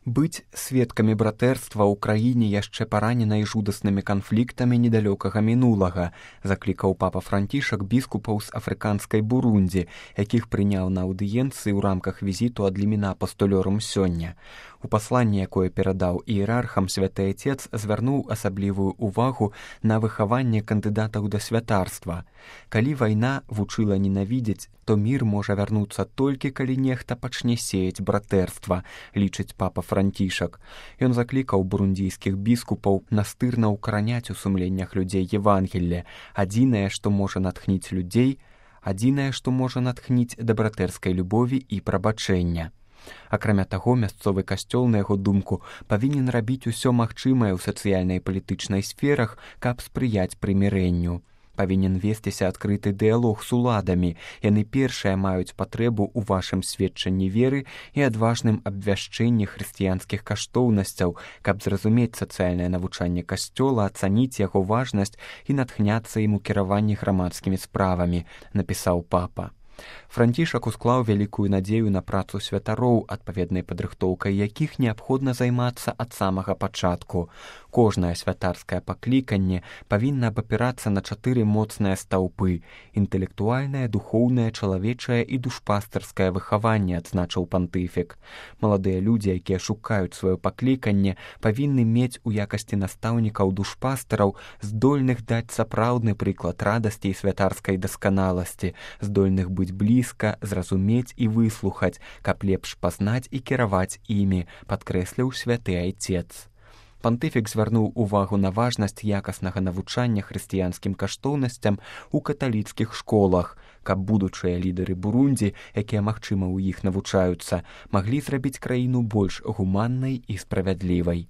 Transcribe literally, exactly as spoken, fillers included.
Быць сведкамі братэрства ў краіне яшчэ параненай жудаснымі канфліктамі недалёкага мінулага, заклікаў папа Францішак біскупаў з афрыканскай Бурундзі, якіх прыняў на аўдыенцыі ў рамках візіту ад ліміна апостолёрум сёння. У пасланні, якое перадаў іерархам, святы Отец звярнуў асаблівую ўвагу на выхаванне кандыдатаў да святарства. Калі вайна вучыла ненавідзець, то мір можа вярнуцца толькі, калі нехта пачне сеяць братэрства, лічыць папа Францішак. Ён заклікаў бурундзійскіх біскупаў настырна ўкараняць у сумленнях людзей Евангелле. Адзінае, што можа натхніць людзей, адзінае, што можа натхніць да братэрскай любові і прабачэння. Акрамя таго, мясцовы касцёл, на яго думку, павінен рабіць усё магчымае ў сацыяльнай і палітычнай сферах, каб спрыяць прымірэнню. Павінен весціся адкрыты дыялог з уладамі. Яны першыя маюць патрэбу ў вашым сведчанні веры і адважным абвяшчэнні хрысціянскіх каштоўнасцяў, каб зразумець сацыяльнае навучанне касцёла, ацаніць яго важнасць і натхняцца ім у кіраванні грамадскімі справамі, напісаў папа. Францішак усклаў вялікую надзею на працу святароў, адпаведнай падрыхтоўкай якіх неабходна займацца ад самага пачатку. Кожнае святарскае пакліканне павінна абапірацца на чатыры моцныя стаўпы – інтэлектуальнае, духоўнае, чалавечае і душпастарскае выхаванне, адзначыў пантыфік. Маладыя людзі, якія шукаюць сваё пакліканне, павінны мець у якасці настаўнікаў душпастараў, здольных даць сапраўдны прыклад радасці і святарскай дасканаласці, здольных быць блізка, зразумець і выслухаць, каб лепш пазнаць і кіраваць імі, падкрэсліў святы Айцец. Пантыфік звярнуў увагу на важнасць якаснага навучання хрысціянскім каштоўнасцям у каталіцкіх школах, каб будучыя лідары Бурундзі, якія, магчыма, у іх навучаюцца, маглі зрабіць краіну больш гуманнай і справядлівай.